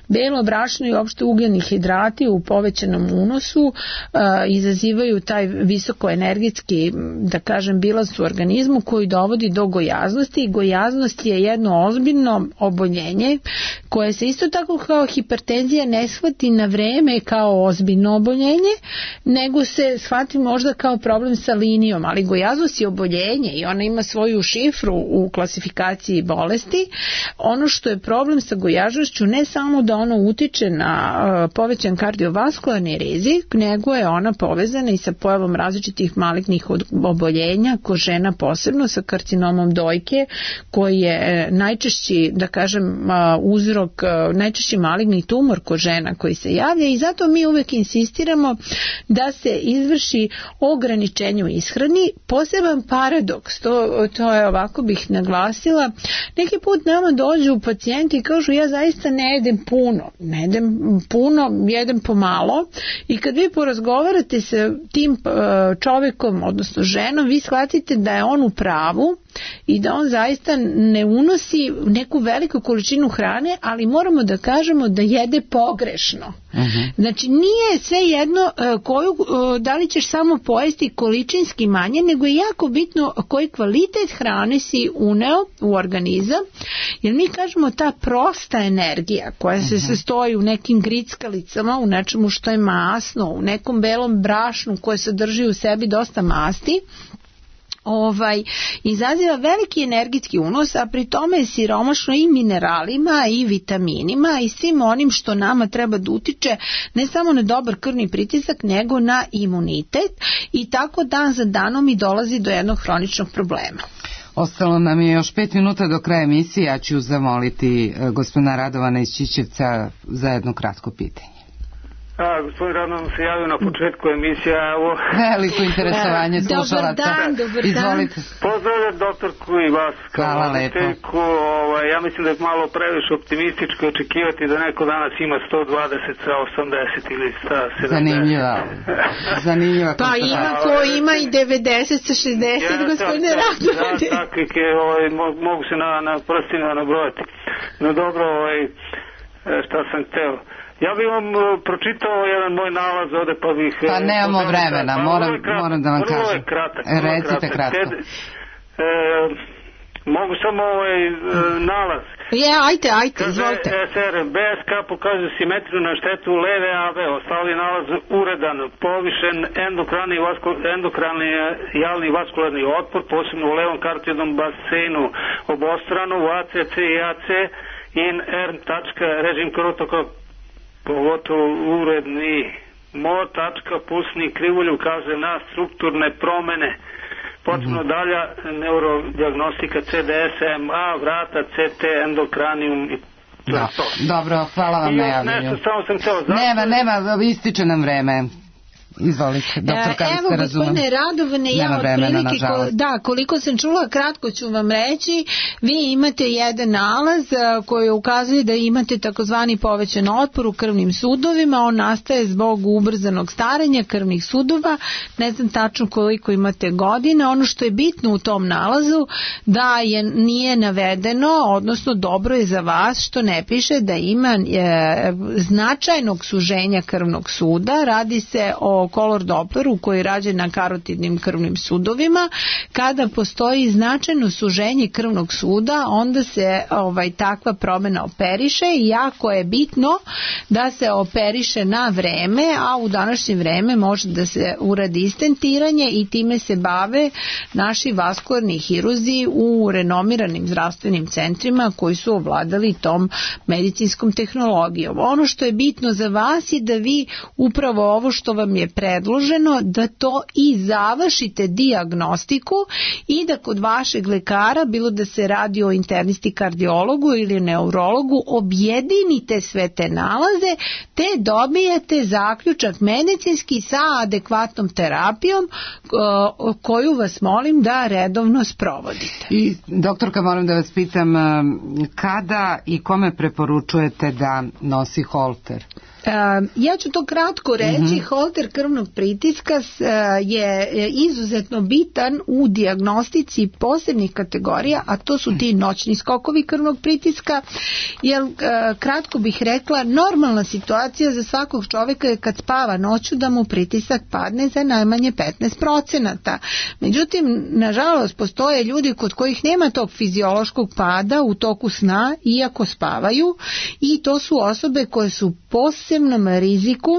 Belo brašno i uopšte ugljeni hidrati u povećanom unosu uh, izazivaju taj visokoenergetski, da kažem, bilans u organizmu koji dovodi do gojaznosti, i gojaznost je jedno ozbiljno oboljenje koje se isto tako kao hipertenzija ne shvati na vreme kao ozbiljno oboljenje, nego se shvati možda kao problem sa linijom, ali gojaznost je oboljenje i ona ima svoju šifru u klasifikaciji bolesti. Ono što je problem sa gojaznošću ne samo samo da ono utiče na povećan kardiovaskularni rizik, nego je ona povezana i sa pojavom različitih malignih oboljenja, kod žena posebno sa karcinomom dojke, koji je najčešći, da kažem, uzrok, najčešći maligni tumor kod žena koji se javlja, i zato mi uvek insistiramo da se izvrši ograničenje u ishrani. Poseban paradoks, to, to je ovako bih naglasila, neki put nama dođu pacijenti i kažu ja zaista ne jedem puno, ne jedem puno, jedem pomalo, i kad vi porazgovarate sa tim čovjekom, odnosno ženom, vi shvatite da je on u pravu i da on zaista ne unosi neku veliku količinu hrane, ali moramo da kažemo da jede pogrešno. Uh-huh. Znači nije sve jedno koju, da li ćeš samo pojesti količinski manje, nego je jako bitno koji kvalitet hrane si uneo u organizam, jer mi kažemo ta prosta energija koja se sastoji u nekim grickalicama, u nečemu što je masno, u nekom belom brašnu koje sadrži u sebi dosta masti, ovaj, izaziva veliki energetski unos, a pri tome je siromašno i mineralima i vitaminima i svim onim što nama treba da utiče ne samo na dobar krvni pritisak, nego na imunitet, i tako dan za danom i dolazi do jednog hroničnog problema. Ostalo nam je još pet minuta do kraja emisije. Ja ću zamoliti gospodina Radovana iz Ćićevca za jedno kratko pitanje. A, gospodin Radovan se javio na početku emisije. Evo... Veliko interesovanje slušalaca. Dobar dan, dobar Izvolite. dan. Pozdravljam doktorku i vas kao voditeljku. Ovaj, ja mislim da je malo previše optimističko očekivati da neko danas ima sto dvadeset sa osamdeset ili sto sedamdeset. Zanimljiva. Zanimljiva. Pa ima ko ima i devedeset sa šezdeset, ja, gospodine Radovan. Da, takvi ovaj, mogu se na, na prstima nabrojati. No dobro, ovaj, šta sam hteo. Ja bih vam pročitao jedan moj nalaz ovde, pa bih... Pa nemamo vremena, pa, moram, moram da vam kažem. Vrlo je kratak. Recite kratko. Ted, e, mogu samo ovaj e, nalaz. Je, ajte, ajte, izvolite. S R B S K pokazuje simetriju na štetu leve A V. Ostali nalaz uredan, povišen endokrani, vasko, endokrani jalni vaskularni otpor, posebno u levom karotidnom basenu obostrano, u A C C i A C, in R. režim krvotoka, pogotovo uredni mo tačka pusni krivulju ukazuje na strukturne promene, potpuno mm-hmm. dalja neurodijagnostika C D S M A, vrata, C T, endokranijum i da. Dobro, hvala vam na javljanju. Nešto, samo sam htio zato... Nema, nema, ističe nam vreme. Izvolite, doktor Karlić, evo, gospodine Radovane, ja otprilike, ko, da, koliko sam čula, kratko ću vam reći, vi imate jedan nalaz koji ukazuje da imate takozvani povećan otpor u krvnim sudovima, on nastaje zbog ubrzanog starenja krvnih sudova, ne znam tačno koliko imate godina, ono što je bitno u tom nalazu da je nije navedeno, odnosno dobro je za vas što ne piše da ima e, značajnog suženja krvnog suda, radi se o kolor Doppleru koji je rađen na karotidnim krvnim sudovima. Kada postoji značajno suženje krvnog suda, onda se ovaj, takva promjena operiše i jako je bitno da se operiše na vreme, a u današnje vreme može da se uradi stentiranje i time se bave naši vaskularni hiruzi u renomiranim zdravstvenim centrima koji su ovladali tom medicinskom tehnologijom. Ono što je bitno za vas je da vi upravo ovo što vam je predloženo, da to i završite dijagnostiku i da kod vašeg lekara, bilo da se radi o internisti kardiologu ili neurologu, objedinite sve te nalaze te dobijete zaključak medicinski sa adekvatnom terapijom koju vas molim da redovno sprovodite. I doktorka, moram da vas pitam, kada i kome preporučujete da nosi holter? Ja ću to kratko reći. Mm-hmm. Holter krvnog pritiska je izuzetno bitan u dijagnostici posebnih kategorija, a to su ti noćni skokovi krvnog pritiska, jer kratko bih rekla, normalna situacija za svakog čovjeka je kad spava noću da mu pritisak padne za najmanje petnaest procenata. Međutim, nažalost, postoje ljudi kod kojih nema tog fiziološkog pada u toku sna, iako spavaju, i to su osobe koje su posebnom riziku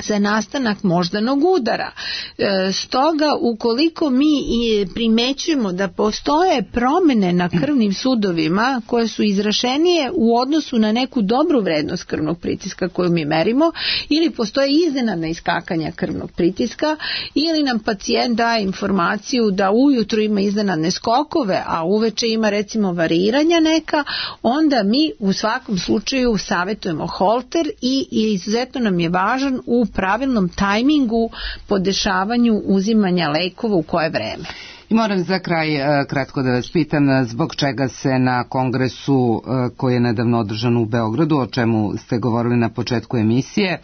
za nastanak moždanog udara. E, stoga, ukoliko mi i primećujemo da postoje promene na krvnim sudovima koje su izrašenije u odnosu na neku dobru vrednost krvnog pritiska koju mi merimo, ili postoje iznenadna iskakanja krvnog pritiska, ili nam pacijent daje informaciju da ujutru ima iznenadne skokove, a uveče ima recimo variranja neka, onda mi u svakom slučaju savjetujemo holter i, i izuzetno nam je važan u pravilnom tajmingu po dešavanju uzimanja lekova u koje vreme. I moram za kraj kratko da vas pitam zbog čega se na kongresu koji je nedavno održan u Beogradu, o čemu ste govorili na početku emisije,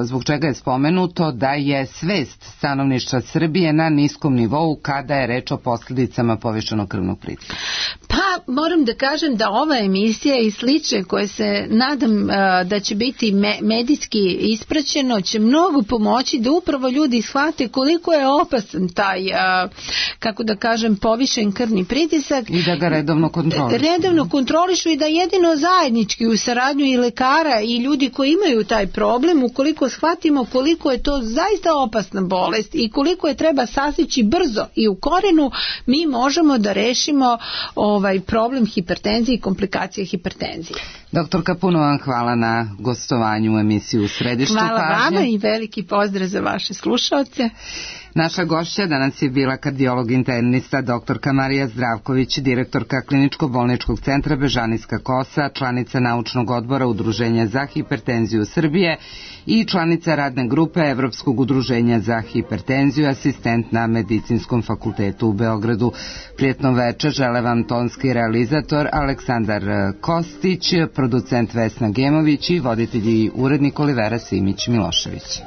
zbog čega je spomenuto da je svest stanovništva Srbije na niskom nivou kada je reč o posljedicama povišenog krvnog pritiska? Pa moram da kažem da ova emisija i slične koje se nadam uh, da će biti me, medijski ispraćeno će mnogo pomoći da upravo ljudi shvate koliko je opasan taj, uh, kako da kažem, povišen krvni pritisak. I da ga redovno kontrolišu. Redovno kontrolišu i da jedino zajednički u saradnju i lekara i ljudi koji imaju taj problem, ukoliko shvatimo koliko je to zaista opasna bolest i koliko je treba sasjeći brzo i u korenu, mi možemo da rešimo ovaj problem hipertenzije i komplikacije hipertenzije. Doktorka, puno vam hvala na gostovanju u emisiju U središtu pažnje. Hvala vama i veliki pozdrav za vaše slušaoce. Naša gošća danas je bila kardiolog internista doktorka Marija Zdravković, direktorka Kliničko-bolničkog centra Bežanijska kosa, članica naučnog odbora Udruženja za hipertenziju Srbije i članica radne grupe Evropskog udruženja za hipertenziju, asistent na Medicinskom fakultetu u Beogradu. Prijetno večer žele vam tonski realizator Aleksandar Kostić, producent Vesna Gemović i voditelj i urednik Olivera Simić Milošević.